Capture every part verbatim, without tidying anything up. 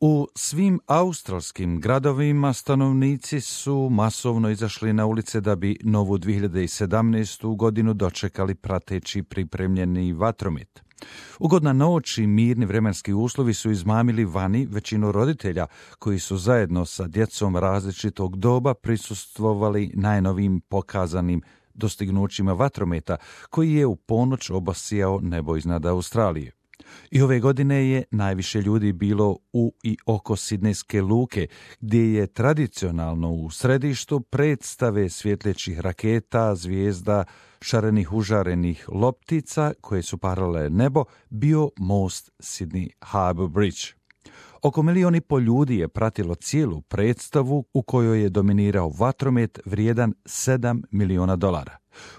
U svim australskim gradovima stanovnici su masovno izašli na ulice da bi novu dvije hiljade sedamnaestu. godinu dočekali prateći pripremljeni vatromet. Ugodna noć i mirni vremenski uslovi su izmamili vani većinu roditelja koji su zajedno sa djecom različitog doba prisustvovali najnovijim pokazanim dostignućima vatrometa koji je u ponoć obasjao nebo iznad Australije. I ove godine je najviše ljudi bilo u i oko Sidnejske luke, gdje je tradicionalno u središtu predstave svjetlećih raketa, zvijezda, šarenih užarenih loptica koje su parale nebo bio most Sydney Harbour Bridge. Oko milijon i pol ljudi je pratilo cijelu predstavu u kojoj je dominirao vatromet vrijedan sedam miliona dolara.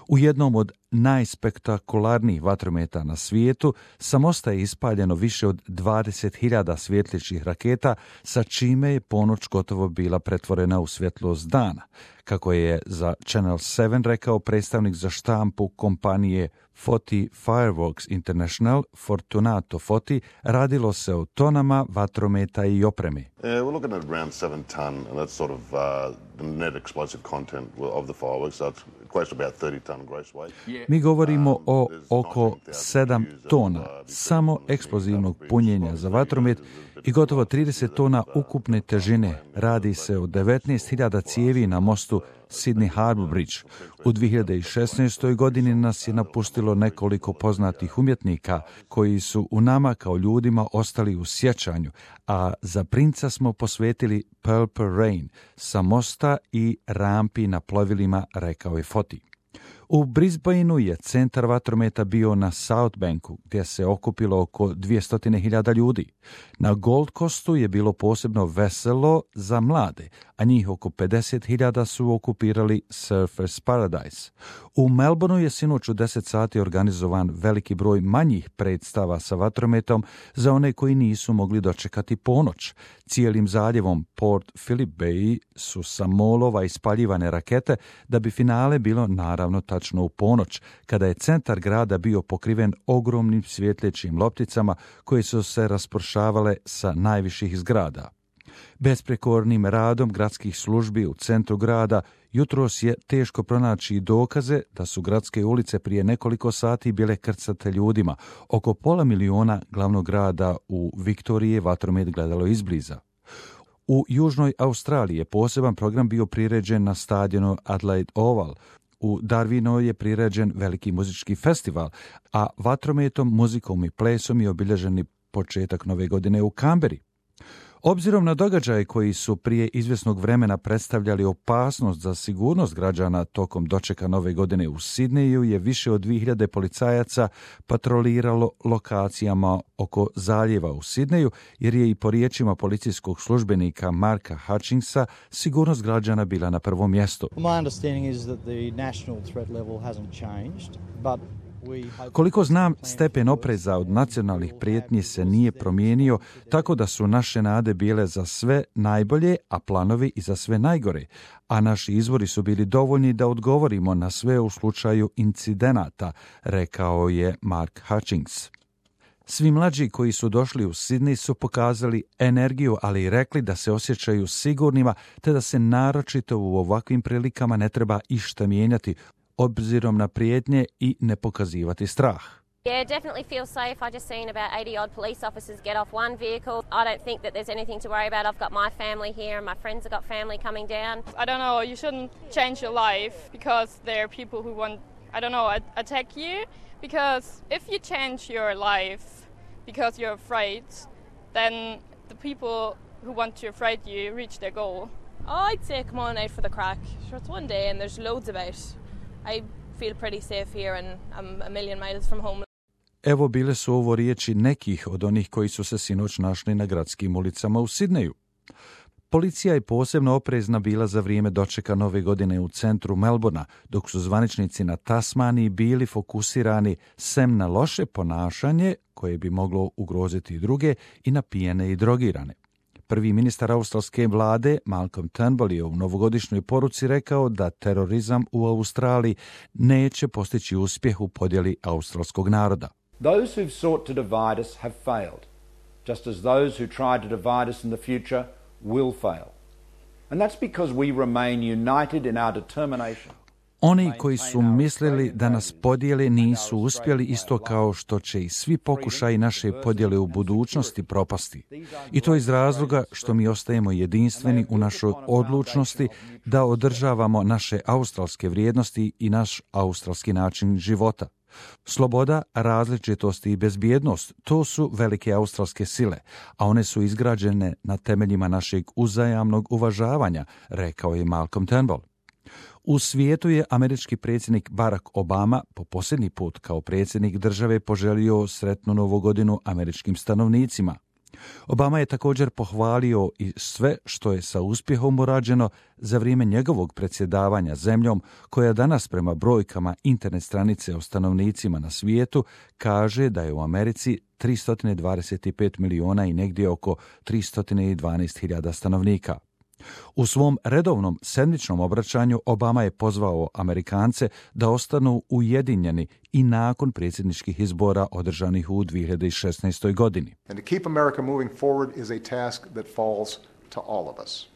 U jednom od najspektakularnijih vatrometa na svijetu sa mosta je ispaljeno više od dvadeset hiljada svjetlećih raketa, sa čime je ponoć gotovo bila pretvorena u svjetlost dana. Kako je za Channel sedam rekao predstavnik za štampu kompanije Foti Fireworks International, Fortunato Foti, radilo se o tonama vatrometa i opreme. Uh, we're looking at around seven ton, and that's sort of uh, the net explosive content of the fireworks. So it's close to about thirty ton gross weight. Mi govorimo o oko sedam tona samo eksplozivnog punjenja za vatromet i gotovo trideset tona ukupne težine. Radi se o devetnaest hiljada cijevi na mostu Sydney Harbour Bridge. U dvije hiljade šesnaestoj. godini nas je napustilo nekoliko poznatih umjetnika koji su u nama kao ljudima ostali u sjećanju, a za princa smo posvetili Purple Rain sa mosta i rampi na plovilima, rekao je Foti. U Brisbaneu je centar vatrometa bio na South Banku, gdje se okupilo oko dvjesto hiljada ljudi. Na Gold Coastu je bilo posebno veselo za mlade, a njih oko pedeset hiljada su okupirali Surfers Paradise. U Melbourneu je sinoć u deset sati organizovan veliki broj manjih predstava sa vatrometom za one koji nisu mogli dočekati ponoć. Cijelim zaljevom Port Phillip Bay su sa molova ispaljivane rakete, da bi finale bilo naravno tačno u ponoć, kada je centar grada bio pokriven ogromnim svjetlećim lopticama koje su se raspršavale sa najviših zgrada. Besprekornim radom gradskih službi u centru grada jutros je teško pronaći dokaze da su gradske ulice prije nekoliko sati bile krcate ljudima. Oko pola miliona glavnog grada u Viktoriji je vatromet gledalo izbliza. U Južnoj Australiji je poseban program bio priređen na stadionu Adelaide Oval. U Darwinu je priređen veliki muzički festival, a vatrometom, muzikom i plesom je obilježeni početak nove godine u Kamberi. Obzirom na događaje koji su prije izvjesnog vremena predstavljali opasnost za sigurnost građana tokom dočeka nove godine u Sidneju, je više od dvije hiljade policajaca patroliralo lokacijama oko zaljeva u Sidneju, jer je i po riječima policijskog službenika Marka Hutchinsa sigurnost građana bila na prvom mjestu. My understanding is that the national threat level hasn't changed, but Koliko znam, stepen opreza od nacionalnih prijetnji se nije promijenio, tako da su naše nade bile za sve najbolje, a planovi i za sve najgore, a naši izvori su bili dovoljni da odgovorimo na sve u slučaju incidenata, rekao je Mark Hutchings. Svi mlađi koji su došli u Sidney su pokazali energiju, ali i rekli da se osjećaju sigurnima, te da se naročito u ovakvim prilikama ne treba išta mijenjati, obzirom na prijetnje i ne pokazivati strah. Yeah, definitely feel safe. I just seen about eighty odd police officers get off one vehicle. I don't think that there's anything to worry about. I've got my family here and my friends have got family coming down. I don't know, you shouldn't change your life because there are people who want, I don't know, attack you. Because if you change your life because you're afraid, then the people who want to afraid you reach their goal. Oh, I'd say come on out for the crack. Sure, it's one day and there's loads about. I feel pretty safe here and I'm a million miles from home. Evo bile su ovo riječi nekih od onih koji su se sinoć našli na gradskim ulicama u Sidneju. Policija je posebno oprezna bila za vrijeme dočeka nove godine u centru Melbourna, dok su zvaničnici na Tasmaniji bili fokusirani sem na loše ponašanje koje bi moglo ugroziti druge i na pijene i drogirane. Prvi ministar australske vlade Malcolm Turnbull je u novogodišnjoj poruci rekao da terorizam u Australiji neće postići uspjeh u podjeli australskog naroda. Those who've sought to divide us have failed. just as those who try to divide us in the future will fail. And that's because we remain united in our determination. Oni koji su mislili da nas podijele nisu uspjeli, isto kao što će i svi pokušaji naše podjele u budućnosti propasti. I to iz razloga što mi ostajemo jedinstveni u našoj odlučnosti da održavamo naše australske vrijednosti i naš australski način života. Sloboda, različitost i bezbjednost, to su velike australske sile, a one su izgrađene na temeljima našeg uzajamnog uvažavanja, rekao je Malcolm Turnbull. U svijetu je američki predsjednik Barack Obama po posljednji put kao predsjednik države poželio sretnu novu godinu američkim stanovnicima. Obama je također pohvalio i sve što je sa uspjehom urađeno za vrijeme njegovog predsjedavanja zemljom, koja danas prema brojkama internet stranice o stanovnicima na svijetu kaže da je u Americi tristo dvadeset pet miliona i negdje oko tristo dvanaest hiljada stanovnika. U svom redovnom sedmičnom obraćanju Obama je pozvao Amerikance da ostanu ujedinjeni i nakon predsjedničkih izbora održanih u dvije hiljade šesnaestoj. godini. And to keep America moving forward is a task that falls to all of us.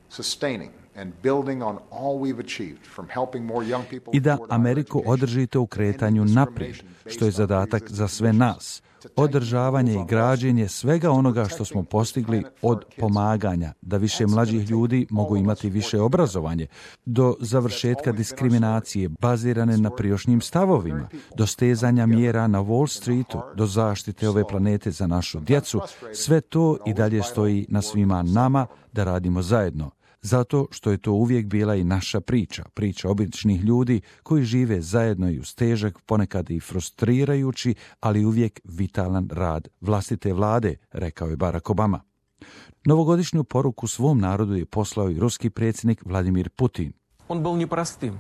Sustaining and building on all we've achieved from helping more young people. I da Ameriku održite u kretanju naprijed, što je zadatak za sve nas. Održavanje i građenje svega onoga što smo postigli, od pomaganja da više mlađih ljudi mogu imati više obrazovanje, do završetka diskriminacije bazirane na prijašnjim stavovima, do stezanja mjera na Wall Streetu, do zaštite ove planete za našu djecu, sve to i dalje stoji na svima nama da radimo zajedno. Zato što je to uvijek bila i naša priča, priča običnih ljudi koji žive zajedno i uz težak, ponekad i frustrirajući, ali uvijek vitalan rad vlastite vlade, rekao je Barack Obama. Novogodišnju poruku svom narodu je poslao i ruski predsjednik Vladimir Putin. On byl neprostým.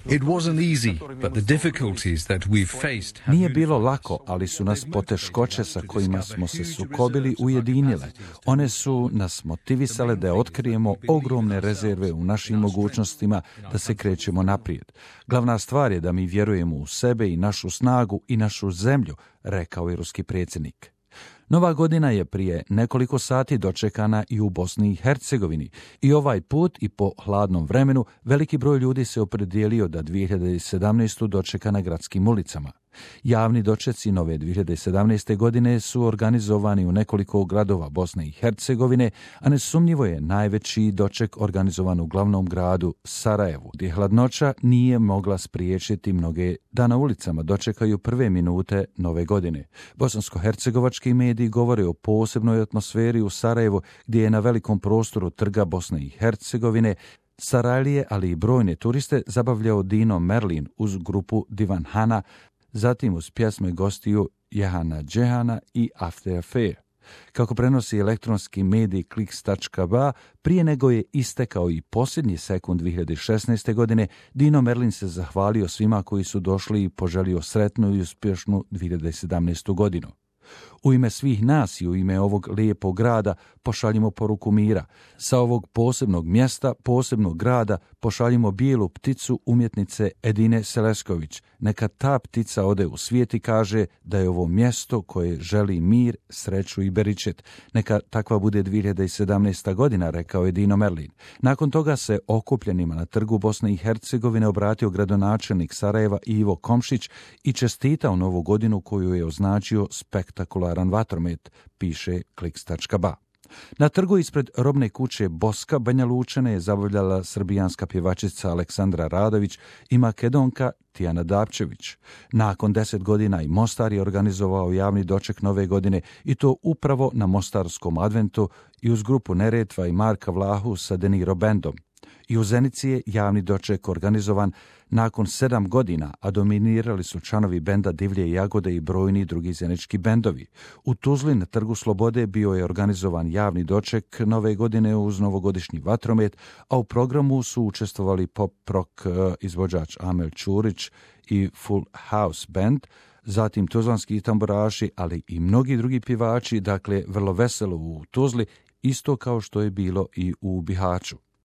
It wasn't easy, but the difficulties that we've faced have... Nije bilo lako, ali su nas poteškoće sa kojima smo se sukobili ujedinile. One su nas motivisale da otkrijemo ogromne rezerve u našim mogućnostima da se krećemo naprijed. Glavna stvar je da mi vjerujemo u sebe i našu snagu i našu zemlju, rekao je ruski predsjednik. Nova godina je prije nekoliko sati dočekana i u Bosni i Hercegovini i ovaj put i po hladnom vremenu veliki broj ljudi se opredijelio da dvije hiljade sedamnaestu dočeka na gradskim ulicama. Javni dočeci nove dvije hiljade sedamnaeste. godine su organizovani u nekoliko gradova Bosne i Hercegovine, a nesumnjivo je najveći doček organizovan u glavnom gradu Sarajevu, gdje hladnoća nije mogla spriječiti mnoge da na ulicama dočekaju prve minute nove godine. Bosansko-hercegovački mediji govore o posebnoj atmosferi u Sarajevu, gdje je na velikom prostoru trga Bosne i Hercegovine Sarajlije, ali i brojne turiste zabavljao Dino Merlin uz grupu Divanhana, zatim uz pjesme gostiju Jehana Džehana i After Affair. Kako prenosi elektronski medij Kliks točka ba, prije nego je istekao i posljednji sekund dvije hiljade šesnaeste. godine, Dino Merlin se zahvalio svima koji su došli i poželio sretnu i uspješnu dvije hiljade sedamnaestu. godinu. U ime svih nas i u ime ovog lijepog grada pošaljimo poruku mira. Sa ovog posebnog mjesta, posebnog grada, pošaljimo bijelu pticu umjetnice Edine Selesković. Neka ta ptica ode u svijet i kaže da je ovo mjesto koje želi mir, sreću i beričet. Neka takva bude dvije hiljade sedamnaesta. godina, rekao je Dino Merlin. Nakon toga se okupljenima na trgu Bosne i Hercegovine obratio gradonačelnik Sarajeva Ivo Komšić i čestitao novu godinu koju je označio spektakularan vatromet, piše Kliks točka ba. Na trgu ispred robne kuće Boska Banja Lučane je zabavljala srbijanska pjevačica Aleksandra Radović i makedonka Tijana Dapčević. Nakon deset godina i Mostar je organizovao javni doček nove godine i to upravo na Mostarskom adventu i uz grupu Neretva i Marka Vlahu sa Deniro Bandom. I u Zenici je javni doček organizovan nakon sedam godina, a dominirali su članovi benda Divlje jagode i brojni drugi zenički bendovi. U Tuzli na Trgu Slobode bio je organizovan javni doček nove godine uz novogodišnji vatromet, a u programu su učestvovali pop-rock izvođač Amel Ćurić i Full House Band, zatim tuzlanski tamburaši, ali i mnogi drugi pjevači, dakle vrlo veselo u Tuzli, isto kao što je bilo i u Bihaću.